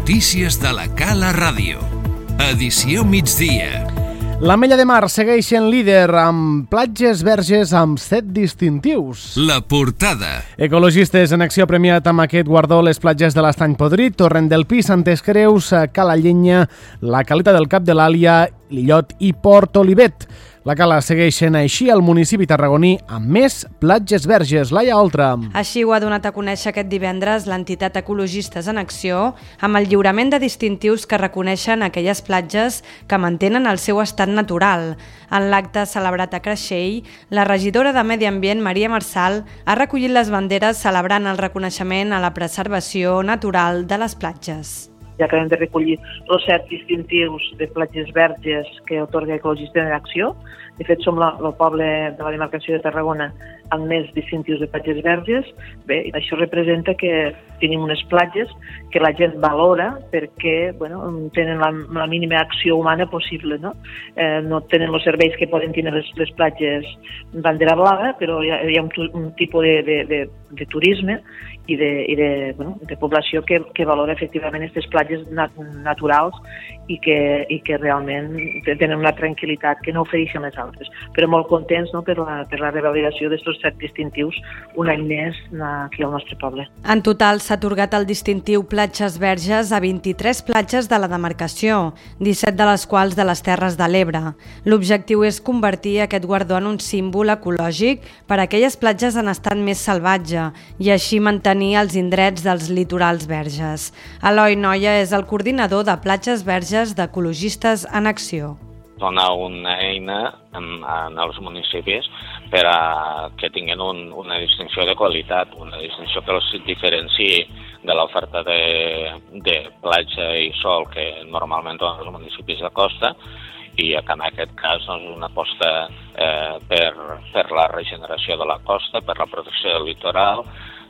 Notícies de la Cala Ràdio. Edició migdia. L'Ametlla de Mar segueix sent líder amb platges verges amb 7 distintius. La portada. Ecologistes en acció premiat amb aquest guardó les platges de l'Estany Podrit, Torrent del Pi, Santes Creus, Cala Llenya, la Caleta del Cap de l'Àlia, l'Illot i Port Olivet. La Cala segueix sent així el municipi tarragoní amb més platges verges. Laia Oltra. Així ho ha donat a conèixer aquest divendres l'entitat Ecologistes en Acció amb el lliurament de distintius que reconeixen aquelles platges que mantenen el seu estat natural. En l'acte celebrat a Creixell, la regidora de Medi Ambient, Maria Marçal, ha recollit les banderes celebrant el reconeixement a la preservació natural de les platges. Ja acabem de recollir els 7 distintius de platges verges que atorga Ecologistes en Acció. De fet, som el poble de la demarcació de Tarragona amb més distintius de platges verges. Bé, això representa que tenim unes platges que la gent valora perquè tenen la mínima acció humana possible. No tenen els serveis que poden tenir les platges bandera blava, però hi ha un tipus de turisme i de població que valora efectivament aquestes platges naturals i que realment tenen una tranquil·litat que no ofereixen les altres. Però molt contents per la revalidació d'aquests 7 distintius un any més aquí al nostre poble. En total s'ha atorgat el distintiu Platges Verges a 23 platges de la demarcació, 17 de les quals de les Terres de l'Ebre. L'objectiu és convertir aquest guardó en un símbol ecològic per a aquelles platges en estat més salvatge i així mantenir els indrets dels litorals verges. Eloi Noia és el coordinador de Platges Verges d'Ecologistes en Acció. Donar una eina als municipis per a que tinguin una distinció de qualitat, una distinció que els diferenciï de l'oferta de platja i sol que normalment donen els municipis de costa i que en aquest cas una aposta per la regeneració de la costa, per la protecció del litoral,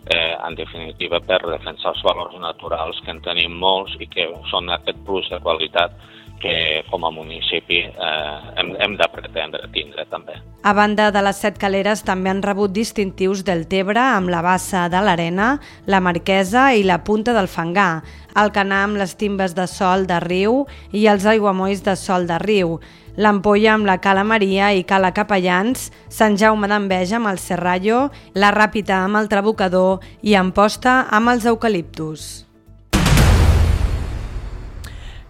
en definitiva per defensar els valors naturals que en tenim molts i que són aquest plus de qualitat que com a municipi hem de pretendre tindre també. A banda de les 7 caleres també han rebut distintius del Tebre amb la Bassa de l'Arena, la Marquesa i la Punta del Fangar, Alcanar amb les Timbes de Sol de Riu i els Aiguamolls de Sol de Riu, l'Ampolla amb la Cala Maria i Cala Capellans, Sant Jaume d'Enveja amb el Serrallo, la Ràpita amb el Trabucador i Amposta amb els Eucaliptus.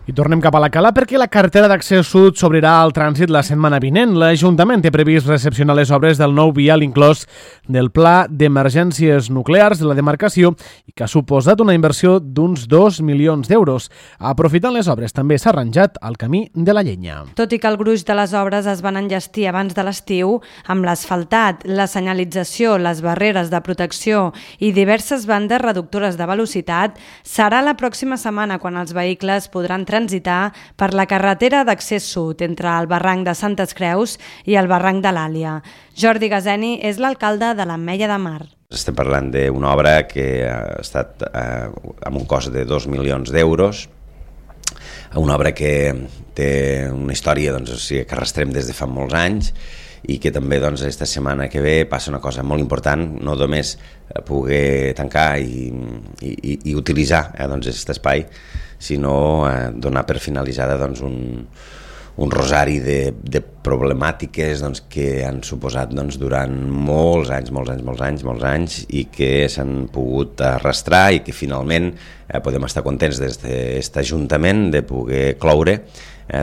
I tornem cap a la Cala perquè la carretera d'accés sud s'obrirà al trànsit la setmana vinent. L'Ajuntament té previst recepcionar les obres del nou vial inclòs del Pla d'Emergències Nuclears de la demarcació i que ha suposat una inversió d'uns 2 milions d'euros. Aprofitant les obres també s'ha arranjat el camí de la Llenya. Tot i que el gruix de les obres es van enllestir abans de l'estiu, amb l'asfaltat, la senyalització, les barreres de protecció i diverses bandes reductores de velocitat, serà la pròxima setmana quan els vehicles podran transitar per la carretera d'accés sud entre el barranc de Santes Creus i el barranc de l'Àlia. Jordi Gazeni és l'alcalde de l'Ametlla de Mar. Estem parlant d'una obra que ha estat amb un cost de 2 milions d'euros, una obra que té una història que arrastrem des de fa molts anys i que també aquesta setmana que ve passa una cosa molt important, no només poder tancar i utilitzar aquest espai, sinó donar per finalitzada un rosari de problemàtiques que han suposat durant molts anys i que s'han pogut arrastrar i que finalment podem estar contents des d'aquest Ajuntament de poder cloure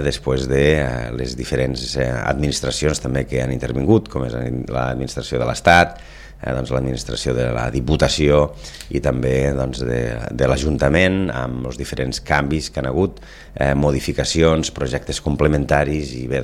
després de les diferents administracions també que han intervingut, com és l'administració de l'Estat, l'administració de la Diputació i també de l'Ajuntament, amb els diferents canvis que han hagut, modificacions, projectes complementaris i bé,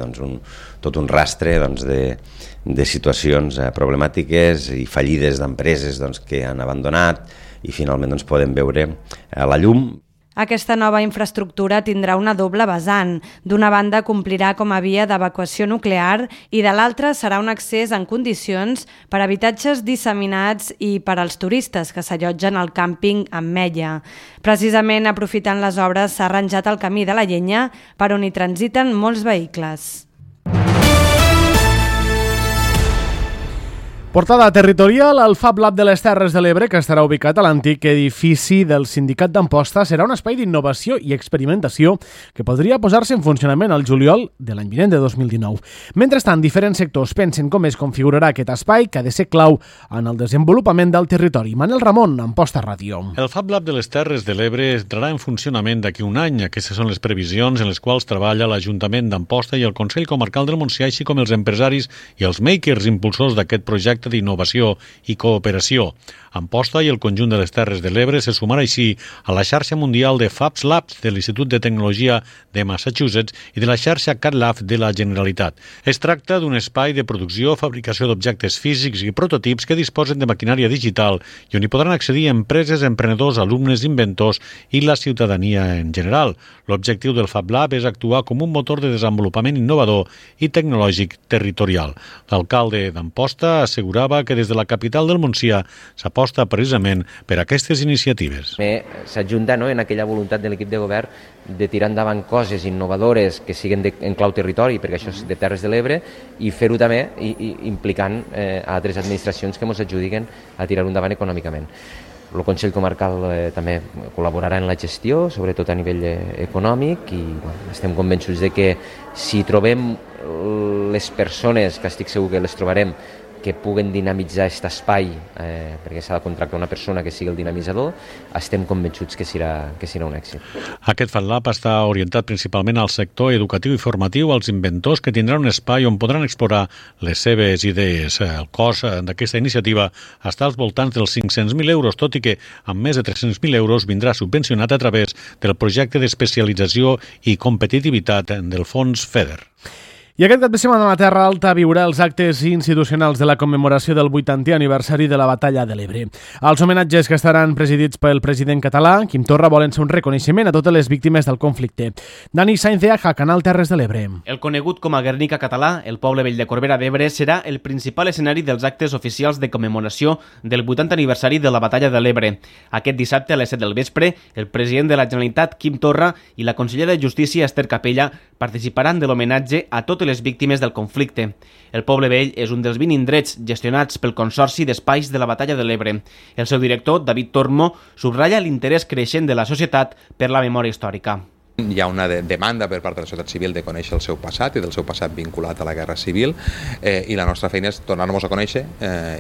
tot un rastre de situacions problemàtiques i fallides d'empreses que han abandonat i finalment podem veure la llum. Aquesta nova infraestructura tindrà una doble vessant. D'una banda complirà com a via d'evacuació nuclear i de l'altra serà un accés en condicions per a habitatges disseminats i per als turistes que s'allotgen al càmping Ametlla. Precisament aprofitant les obres s'ha arranjat el camí de la Llenya per on hi transiten molts vehicles. Portada territorial, el Fab Lab de les Terres de l'Ebre, que estarà ubicat a l'antic edifici del Sindicat d'Amposta, serà un espai d'innovació i experimentació que podria posar-se en funcionament al juliol de l'any vinent de 2019. Mentrestant, diferents sectors pensen com es configurarà aquest espai, que ha de ser clau en el desenvolupament del territori. Manel Ramon, Amposta Ràdio. El Fab Lab de les Terres de l'Ebre entrarà en funcionament d'aquí un any. Aquestes són les previsions en les quals treballa l'Ajuntament d'Amposta i el Consell Comarcal del Montsià, així com els empresaris i els makers impulsors d'aquest projecte d'innovació i cooperació. Amposta i el conjunt de les Terres de l'Ebre se sumarà així a la xarxa mundial de Fab Labs de l'Institut de Tecnologia de Massachusetts i de la xarxa CatLab de la Generalitat. Es tracta d'un espai de producció, fabricació d'objectes físics i prototips que disposen de maquinària digital i on hi podran accedir empreses, emprenedors, alumnes, inventors i la ciutadania en general. L'objectiu del Fab Lab és actuar com un motor de desenvolupament innovador i tecnològic territorial. L'alcalde d'Amposta assegurava que des de la capital del Montsià s'aposta precisament per aquestes iniciatives. S'ajunta en aquella voluntat de l'equip de govern de tirar endavant coses innovadores que siguin en clau territori, perquè això és de Terres de l'Ebre, i fer-ho també implicant altres administracions que ens ajudiquen a tirar-ho endavant econòmicament. El Consell Comarcal també col·laborarà en la gestió, sobretot a nivell econòmic, i estem convençuts de que si trobem les persones, que estic segur que les trobarem, que puguen dinamitzar aquest espai, perquè s'ha de contractar una persona que sigui el dinamitzador, estem convençuts que serà un èxit. Aquest Fab Lab està orientat principalment al sector educatiu i formatiu, als inventors que tindran un espai on podran explorar les seves idees. El cost d'aquesta iniciativa està als voltants dels 500.000 euros, tot i que amb més de 300.000 euros vindrà subvencionat a través del projecte d'especialització i competitivitat del fons FEDER. I aquest cap de setmana la Terra Alta viurà els actes institucionals de la commemoració del 80è aniversari de la Batalla de l'Ebre. Els homenatges, que estaran presidits pel president català, Quim Torra, volen ser un reconeixement a totes les víctimes del conflicte. Dani Sainz de Aja, Canal Terres de l'Ebre. El conegut com a Guernica català, el poble vell de Corbera d'Ebre, serà el principal escenari dels actes oficials de commemoració del 80è aniversari de la Batalla de l'Ebre. Aquest dissabte a les 7 del vespre, el president de la Generalitat, Quim Torra, i la consellera de Justícia, Esther Capella, participaran de l'homenatge a totes les víctimes del conflicte. El poble vell és un dels 20 indrets gestionats pel Consorci d'Espais de la Batalla de l'Ebre. El seu director, David Tormo, subratlla l'interès creixent de la societat per la memòria històrica. Hi ha una demanda per part de la societat civil de conèixer el seu passat i del seu passat vinculat a la guerra civil, i la nostra feina és tornar-nos a conèixer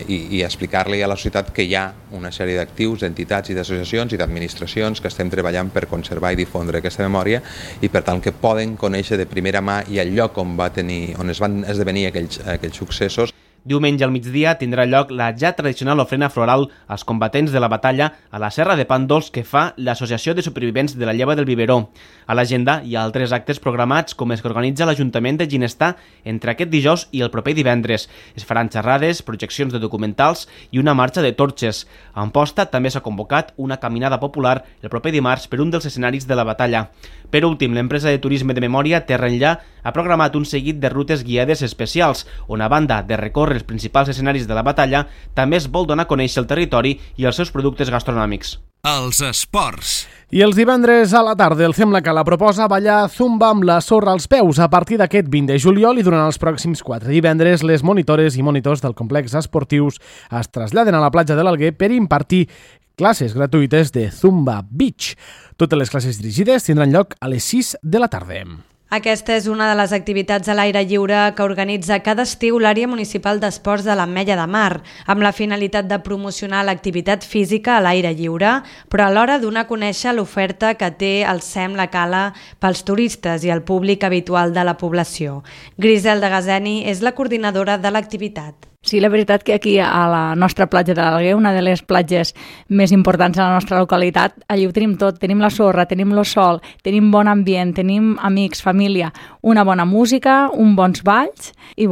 i explicar-li a la societat que hi ha una sèrie d'actius, d'entitats i d'associacions i d'administracions que estem treballant per conservar i difondre aquesta memòria i per tant que poden conèixer de primera mà i el lloc on es van esdevenir aquells successos. Diumenge al migdia tindrà lloc la ja tradicional ofrena floral als combatents de la batalla a la Serra de Pàndols que fa l'Associació de Supervivents de la Lleva del Biberó. A l'agenda hi ha altres actes programats com els que organitza l'Ajuntament de Ginestar entre aquest dijous i el proper divendres. Es faran xerrades, projeccions de documentals i una marxa de torxes. A Amposta també s'ha convocat una caminada popular el proper dimarts per un dels escenaris de la batalla. Per últim, l'empresa de turisme de memòria Terra Enllà ha programat un seguit de rutes guiades especials, on a banda de recórrer els principals escenaris de la batalla, també es vol donar a conèixer el territori i els seus productes gastronòmics. Els esports. I els divendres a la tarda el Fem la Cala proposa ballar zumba amb la sorra als peus a partir d'aquest 20 de juliol i durant els pròxims 4 divendres les monitores i monitors del complex esportius es traslladen a la platja de l'Alguer per impartir classes gratuïtes de Zumba Beach. Totes les classes dirigides tindran lloc a les 6 de la tarda. Aquesta és una de les activitats a l'aire lliure que organitza cada estiu l'àrea municipal d'esports de l'Ametlla de Mar, amb la finalitat de promocionar l'activitat física a l'aire lliure, però alhora donar a conèixer l'oferta que té el SEM La Cala pels turistes i el públic habitual de la població. Griselda Gazeni és la coordinadora de l'activitat. Sí, la veritat que aquí a la nostra platja de l'Alguer, una de les platges més importants de la nostra localitat, allí ho tenim tot, tenim la sorra, tenim el sol, tenim bon ambient, tenim amics, família, una bona música, uns bons balls i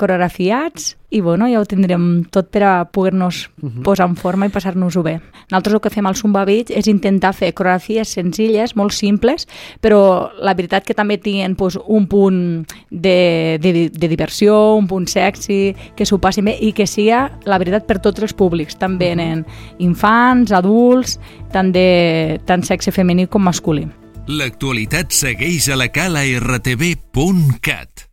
coreografiats i ja ho tindrem tot per a poder-nos posar en forma i passar-nos-ho bé. Nosaltres el que fem al Zumba Beach és intentar fer coreografies senzilles, molt simples, però la veritat que també tenen un punt de diversió, un punt sexy, que s'ho passin bé i que sigui, la veritat, per tots els públics. També en infants, adults, tant sexe femení com masculí. L'actualitat segueix a la cala rtv.cat.